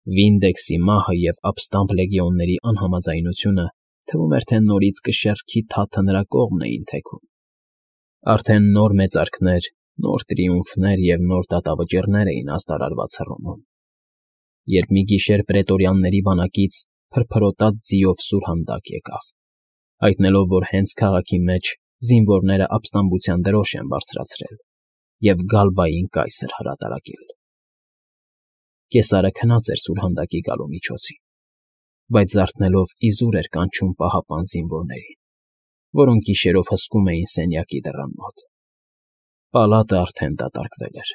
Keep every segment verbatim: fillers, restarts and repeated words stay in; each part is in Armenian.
Վինդեքսի մահը և ապստամբ լեգիոնների անհամաձայնությունը թվում էր, թե նորից կշեռքի թաթը նրա կողմն էին թեքում. արդեն նոր մեծարքներ, նոր տրիումֆներ և նոր դատավճիռներ էին աստարարված Հռոմում, երբ մի գիշեր պրետորյանների բանակից փրփրոտած ձիով սուրհանդակ եկավ, հայտնելով, որ հենց քաղաքի մեջ զինվորները ապստամբության դրոշ են բարձրացրել և Գալբային կայսր հրատարակել։ Կեսարը քնած էր սուրհանդակի գալու միջոցին, բայց զարթնելով իզուր էր կանչում պահապան զինվորներին, որոնք գիշերով հսկում էին սենյակի դռան մոտ։ Պալատը արդեն դատարկվել էր։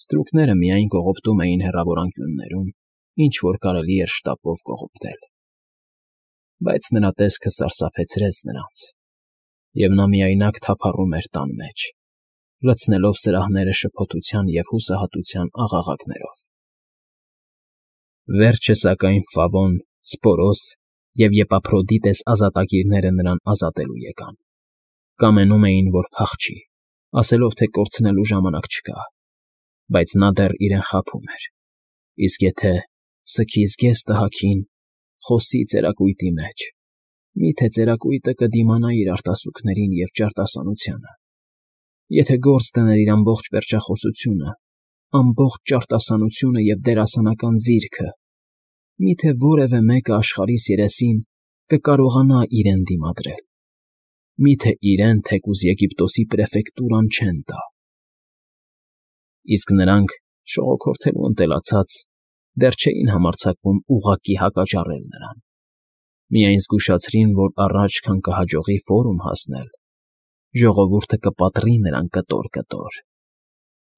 Ստրուկները միայն կողոպտում էին հեռավոր անկյուններում, ինչ որ կարելի էր շտապով կողոպտել։ Բայց նրա տեսքը սարսափեցրեց նրանց, և նա միայնակ թափառում էր տան մեջ, լցնելով սրահները շփոթության և հուսահատության աղաղակներով։ Վերջը, սակայն, Ֆավոն, Սպորոս և Եպափրոդիտես ազատագիրները նրան ազատելու եկան։ Կամենում էին, որ փախչի, ասելով, թե կորցնելու ժամանակ չկա, բայց նա դեռ իրեն խաբում էր. իսկ եթե սքի զգեստը հագին, խոսի ծերակույտի մեջ, մի՞թե ծերակույտը կդիմանա իր արտասուքներին և ճարտասանությանը, եթե գործ դներ իր ամբողջ վերջախոսությունը, ամբողջ ճարտասանությունը և դերասանական ձիրքը, մի՞թե որևէ մեկը աշխարհիս երեսին կկարողանա իրեն դիմադրել, մի՞թե իրեն թեկուզ Եգիպտոսի պրեֆեկտուրան չեն տա։ Իսկ նրանք, շողոքորթելու ընտելացած, դեռ չէին համարձակվում ուղղակի հակաճառել նրան, միայն զգուշացրին, որ առաջ, քան կհաջողի Ֆորում հասնել, ժողովուրդը կպատռի նրան կտոր֊կտոր,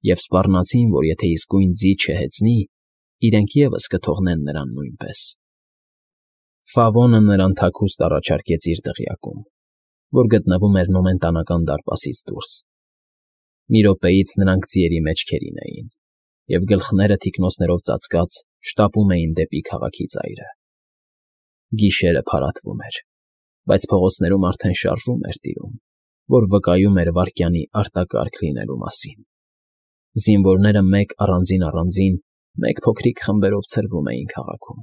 և սպառնացին, որ եթե իսկույն ձի չհեծնի, իրենք ևս կթողնեն նրան նույնպես։ Ֆավոնը նրան թաքուստ առաջարկեց իր դղյակում, որ գտնվում էր Նոմենտանական դարպասից դուրս։ Մի րոպեից նրանք ձիերի մեջքերին էին, և գլխները թիկնոցներով ծածկած շտապում էին դեպի քաղաքի ծայրը։ Գիշերը փարատվում էր, բայց փողոցներում արդեն շարժում էր տիրում, որ վկայում էր վայրկյանի արտակարգ լինելու մասին։ Զինվորները մեկ առանձին առանձին, մեկ փոքրիկ խմբերով ցրվում էին քաղաքում։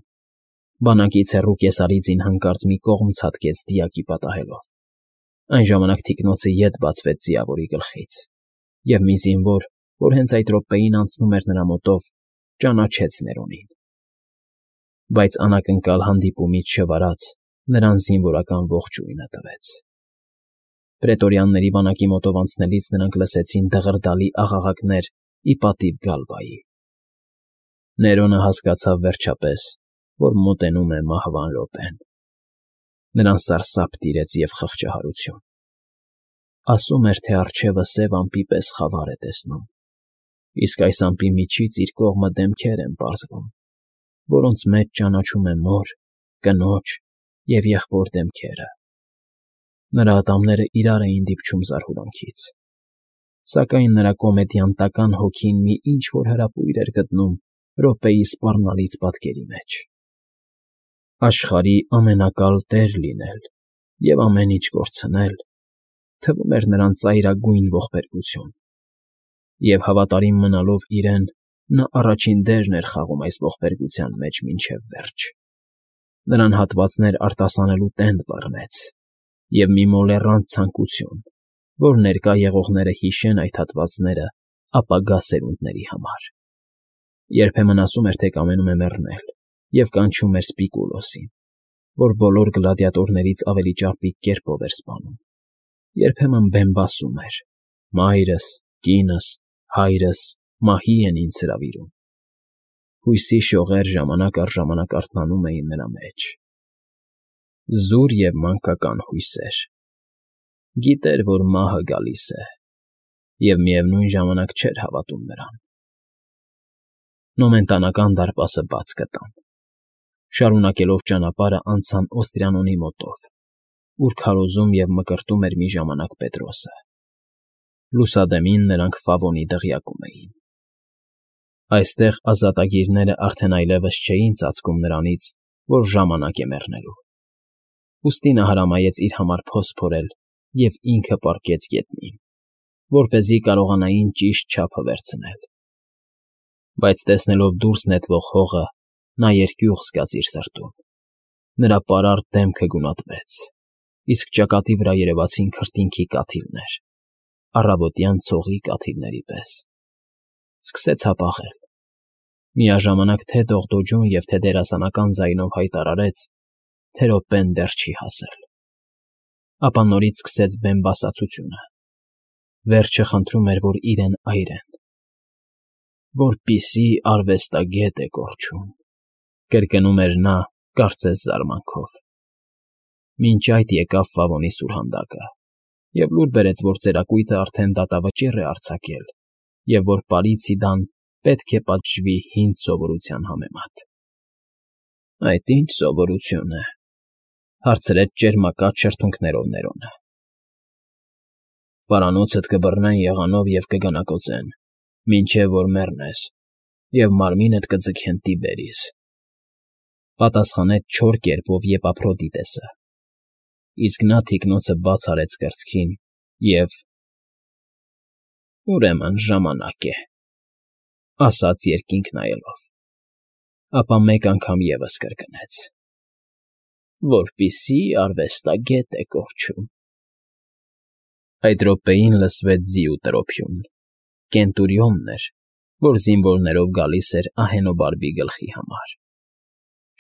Բանակից հեռու կեսարիձին հանկարծ մի կողմ ցատկեց դիակի պատահելով։ Այն ժամանակ թիկնոցը ետ բացվեց ձիավորի գլխից, և մի զինվոր, որ հենց այդ րոպեին անցնում էր նրա մոտով, ճանաչեց Ներոնին։ Բայց անակնկալ հանդիպումից չվարած նրան զինվորական ողջույնը տվեց։ Պրետորյանների բանակի մոտով անցնելիս նրանք լսեցին դղրդալի աղաղակներ ի պատիվ Գալբայի։ Ներոնը հասկացավ վերջապես, որ մոտենում է մահվան րոպեն։ Նրան սարսափ տիրեց և խղճահարություն։ Ասում էր, թե առջևը սև ամպի պես խավար է տեսնում, իսկ այս ամպի միջից իր կողմը դեմքեր են պարզվում, որոնց մեջ ճանաչում է մոր, կնոջ և եղբոր դեմքերը։ Նրա ատամները իրար էին դիպչում զարհուրանքից, սակայն նրա կոմեդիանտական հոգին մի ինչ֊որ հրապույր էր գտնում րոպեի սպառնալից պատկերի մեջ։ Աշխարհի ամենակալ տեր լինել և ամեն ինչ կորցնել, թվում էր նրան ծայրագույն ողբերգություն, և հավատարիմ մնալով իրեն, նա առաջին դերն էր խաղում այս ողբերգության մեջ մինչև վերջ։ Նրան հատվածներ արտասանելու տենդ բռնեց, և մի մոլեռանդ ցանկություն, որ ներկա եղողները հիշեն այդ հատվածները ապագա սերունդների համար։ Երբեմն ասում էր, թե կամենում է մեռնել, և կանչում էր Սպիկուլոսին, որ բոլոր գլադիատորներից ավելի ճարպիկ կերպով էր սպանում։ Երբեմն բեմբասում էր. «Մայրս, կինս, հայրս մահի են ինձ հրավիրում»։ Հույսի շողեր ժամանակ առ ժամանակ արթնանում էին նրա մեջ։ Զուր և մանկական հույսեր։ Գիտեր, որ մահը գալիս է, և միևնույն ժամանակ չէր հավատում նրան։ Նոմենտանական դարպասը բաց գտան։ Շարունակելով ճանապարհը անցան Օստրիանոնի մոտով, ուր քարոզում և մկրտում էր մի ժամանակ Պետրոսը։ Լուսադեմին նրանք Ֆավոնի դղյակում էին։ Այստեղ ազատագիրները արդեն այլևս չէին ծածկում նրանից, որ ժամանակ է մեռնելու։ Ուստի նա հրամայեց իր համար փոս փորել և ինքը պառկեց գետնին, որպեսզի կարողանային ճիշտ չափը վերցնել։ Բայց տեսնելով դուրս նետվող հողը, նա երկյուղ զգաց իր սրտում։ Նրա պարարտ դեմքը գունատվեց, իսկ ճակատի վրա երևացին քրտինքի կաթիլներ, առավոտյան ցողի կաթիլների պես։ Սկսեց հապաղել։ Միաժամանակ թե դողդոջուն և թե դերասանական ձայնով հայտարարեց, թե րոպեն դեռ չի հասել։ Ապա նորից սկսեց բեմբասացությունը։ Վերջը խնդրում էր, որ իրեն այրեն։ «Որպիսի արվեստագետ է կորչում», կրկնում էր նա, կարծես զարմանքով։ Մինչ այդ եկավ Ֆավոնի սուրհանդակը և լուր բերեց, որ ծերակույտը արդեն դատավճիռ է արձակել և որ Պարիսիդան պետք է պատժվի հին սովորության համեմատ։ ֊ Այդ ի՞նչ սովորություն է,֊ հարցրեց ճերմակած շրթունքներով Ներոնը։ ֊ Պարանոցդ կբռնեն եղանով և կգանակոծեն, մինչև որ մեռնես, և մարմինդ կձգեն Տիբերիս,֊ պատասխանեց չոր կերպով Եպափրոդիտեսը։ Իսկ նա թիկնոցը բաց արեց կրծքին և… Ուրեմն ժամանակ է,֊ ասաց երկինք նայելով, ապա մեկ անգամ ևս կրկնեց. «Որպիսի արվեստագետ է կորչում»։ Այդ րոպեին լսվեց ձի ու տրոփյուն։ Կենտուրիոնն էր, որ զինվորներով գալիս էր ահենոբարբի գլխի համար։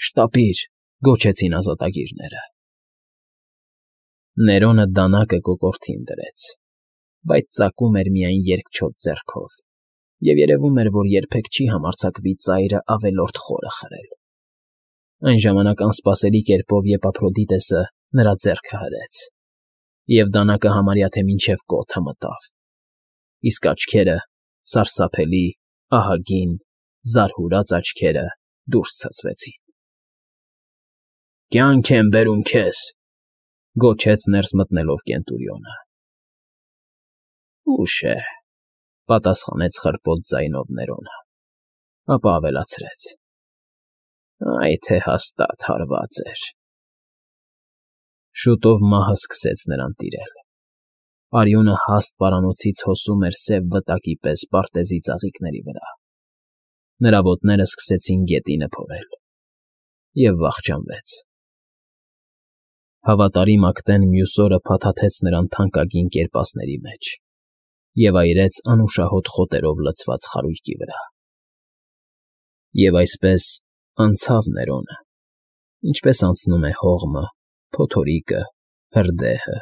«Շտապի՛ր,֊ գոչեցին ազատագիրները։ Ներոնը դանակը կոկորդին դրեց, բայց ծակում էր միայն երկչոտ ձեռքով, և երևում էր, որ երբեք չի համարձակվի ծայրը ավելորդ խորը խրել։ Այն ժամանակ անսպասելի կերպով Եպափրոդիտեսը նրա ձեռքը հրեց, և դանակը համարյա թե մինչև կոթը մտավ, իսկ աչքերը, սարսափելի, ահագին, զարհուրած աչքերը դուրս ցցվեցին։ «Կյանք եմ բերում քեզ,֊ գոչեց ներս մտնելով Կենտուրիոնը։ ֊ Ուշ է,֊ պատասխանեց խռպոտ ձայնով Ներոնը, ապա ավելացրեց. «Այ թե հաստատ հարված էր»։ Շուտով մահը սկսեց նրան տիրել։ Արյունը հաստ պարանոցից հոսում էր սև վտակի պես պարտեզի ծաղիկների վրա։ Նրա ոտները սկսեցին գետինը փորել և վախճանվեց։ Հավատարիմ ակտեն մյուս օրը փաթաթեց նրան թանկագին կերպասների մեջ և այրեց անուշահոտ խոտերով լցված խարույկի վրա։ Եվ այսպես անցավ Ներոնը, ինչպես անցնում է հողմը, փոթորիկը, հրդեհը,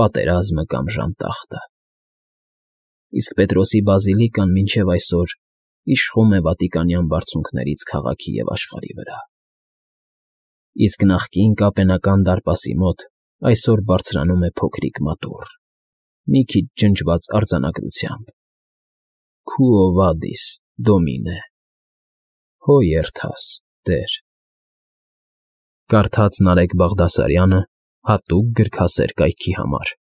պատերազմը կամ ժանտախտը։ Իսկ Պետրոսի բազիլիկան մինչև այսօր իշխում է վատիկանյան բարձունքներից քաղաքի և աշխարհի վրա։ Իսկ նախկին կապենական դարպասի մոտ այսօր բարձրանում է փոքրիկ մատուռ, մի քիչ ջնջված արձանագրությամբ. Quo vadis, Domine, Հո երթաս, Տեր։ Կարդաց Նարեկ Բաղդասարյանը հատուկ գրքասեր կայքի համար։